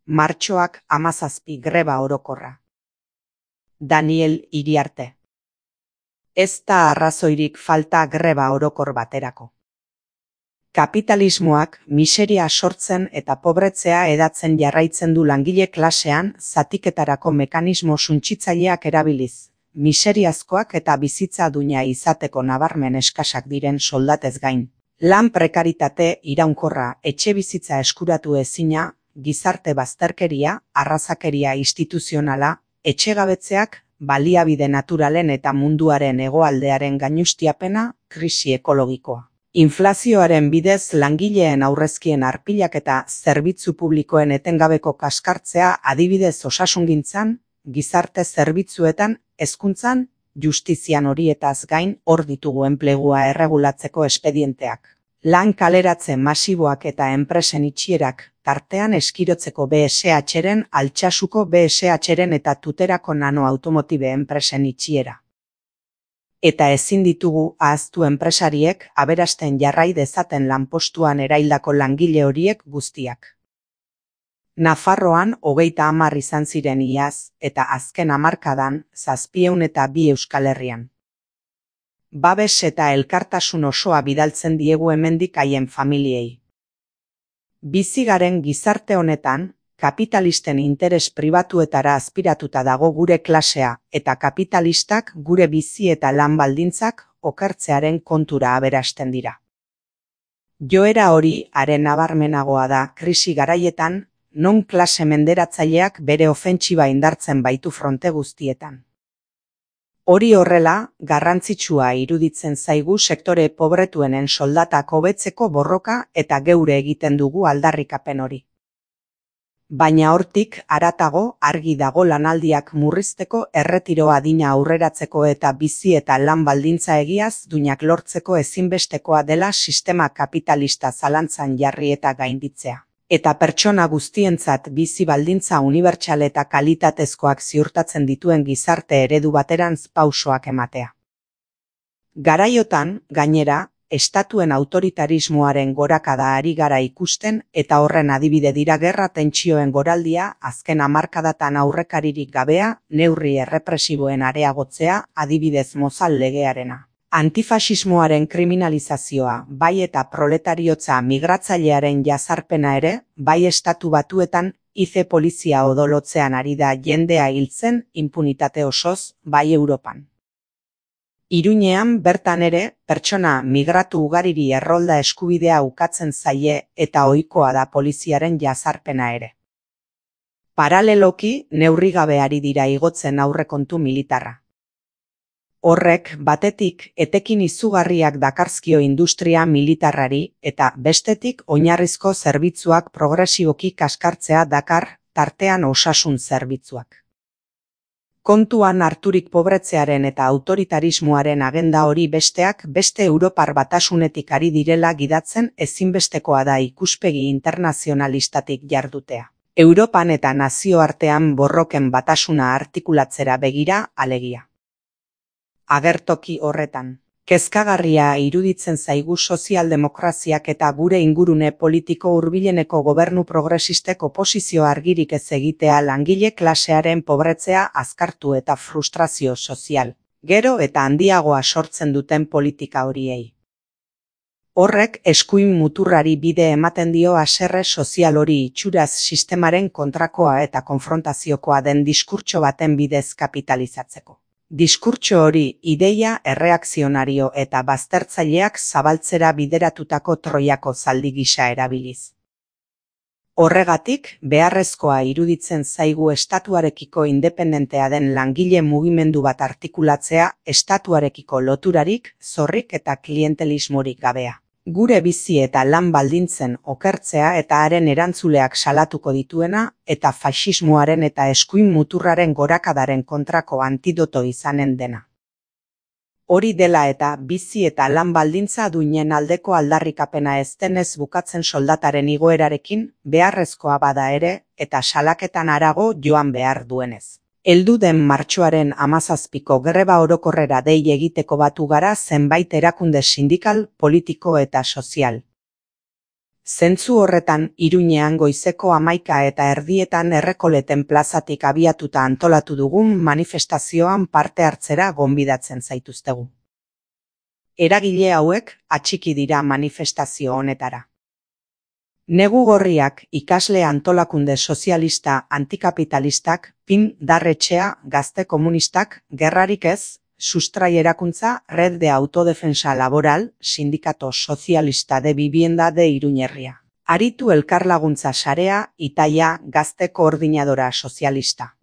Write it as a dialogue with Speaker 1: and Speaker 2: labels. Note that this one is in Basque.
Speaker 1: Martxoak 17 greba orokorra. Daniel Iriarte. Ez da arrazoirik falta greba orokor baterako. Kapitalismoak miseria sortzen eta pobretzea hedatzen jarraitzen du langile klasean zatiketarako mekanismo suntsitzaileak erabiliz, miseriazkoak eta bizitza duina izateko nabarmen eskasak diren soldatez gain. Lan prekaritate iraunkorra, etxebizitza eskuratu ezina, gizarte bazterkeria, arrazakeria instituzionala, etxegabetzeak, baliabide naturalen eta munduaren hegoaldearen gainuztiapena, krisi ekologikoa. Inflazioaren bidez langileen aurrezkien arpilak eta zerbitzu publikoen etengabeko kaskartzea adibidez osasungintzan, gizarte zerbitzuetan, hezkuntzan, justizian horietaz gain hor ditugu enplegua erregulatzeko espedienteak. Lan kaleratze masiboak eta enpresen itxierak, tartean eskirotzeko BSH-ren, Altsasuko BSH-ren eta Tuterako nanoautomotibe enpresen itxiera. Eta ezin ditugu ahaztu enpresariek aberasten jarrai dezaten lanpostuan eraildako langile horiek guztiak. Nafarroan 30 izan ziren iaz, eta azken hamarkadan 702 Euskal Herrian. Babes eta elkartasun osoa bidaltzen diegu hemendik haien familiei. Bizi garen gizarte honetan, kapitalisten interes pribatuetara aspiratuta dago gure klasea eta kapitalistak gure bizi eta lan baldintzak okertzearen kontura aberasten dira. Joera hori are nabarmenagoa da krisi garaietan, non klase menderatzaileak bere ofentsiba indartzen baitu fronte guztietan. Hori horrela, garrantzitsua iruditzen zaigu sektore pobretuenen soldatak hobetzeko borroka eta geure egiten dugu aldarrikapen hori. Baina hortik haratago argi dago lanaldiak murrizteko, erretiro adina aurreratzeko eta bizi eta lan baldintza egiaz duinak lortzeko ezinbestekoa dela sistema kapitalista zalantzan jarri eta gainditzea. Eta pertsona guztientzat bizi baldintza unibertsal eta kalitatezkoak ziurtatzen dituen gizarte eredu baterantz pausoak ematea. Garaiotan, gainera, estatuen autoritarismoaren gorakada ari gara ikusten eta horren adibide dira gerra tentsioen goraldia, azken hamarkadatan aurrekaririk gabea, neurri errepresiboen areagotzea, adibidez Mozal legearena. Antifasismoaren kriminalizazioa, bai eta proletariotza migratzailearen jazarpena ere, bai Estatu Batuetan ICE polizia odolotzean ari da jendea hiltzen inpunitate osoz, bai Europan. Iruñean bertan ere, pertsona migratu ugariri errolda eskubidea ukatzen zaie eta ohikoa da poliziaren jazarpena ere. Paraleloki, neurrigabe ari dira igotzen aurrekontu militarra. Horrek, batetik, etekin izugarriak dakarzkio industria militarrari eta bestetik oinarrizko zerbitzuak progresiboki kaskartzea dakar, tartean osasun zerbitzuak. Kontuan harturik pobretzearen eta autoritarismoaren agenda hori besteak beste Europar Batasunetik ari direla gidatzen ezinbestekoa da ikuspegi internazionalistatik jardutea. Europan eta nazioartean borroken batasuna artikulatzera begira, alegia. Agertoki horretan, kezkagarria iruditzen zaigu sozialdemokraziak eta gure ingurune politiko hurbileneko gobernu progresistek oposizio argirik ez egitea langile klasearen pobretzea azkartu eta frustrazio sozial, gero eta handiagoa sortzen duten politika horiei. Horrek eskuin muturrari bide ematen dio haserre sozial hori itxuraz sistemaren kontrakoa eta konfrontaziokoa den diskurtso baten bidez kapitalizatzeko. Diskurtso hori ideia erreakzionario eta baztertzaileak zabaltzera bideratutako Troiako zaldi gisa erabiliz. Horregatik, beharrezkoa iruditzen zaigu estatuarekiko independentea den langile mugimendu bat artikulatzea, estatuarekiko loturarik, zorrik eta klientelismorik gabea. Gure bizi eta lan baldintzen okertzea eta haren erantzuleak salatuko dituena, eta faxismoaren eta eskuin muturraren gorakadaren kontrako antidoto izanen dena. Hori dela eta bizi eta lan baldintza duinen aldeko aldarrikapena ez denez bukatzen soldataren igoerarekin, beharrezkoa bada ere, eta salaketan harago joan behar duenez. Heldu den martxoaren 17ko greba orokorrera dei egiteko batu gara zenbait erakunde sindikal, politiko eta sozial. Zentzu horretan, Iruñean goizeko 11:30 Errekoleten plazatik abiatuta antolatu dugun manifestazioan parte hartzera gonbidatzen zaituztegu. Eragile hauek atxiki dira manifestazio honetara. Negu Gorriak, ikasle antolakunde sozialista antikapitalistak, PIN Darretxea, Gazte Komunistak, Gerrarik Ez, Sustrai Erakuntza, Red de Autodefensa Laboral, Sindikato Sozialista de Vivienda de Iruñerria. Aritu Elkarlaguntza Sarea, Itaia, Gazte Koordinadora Sozialista.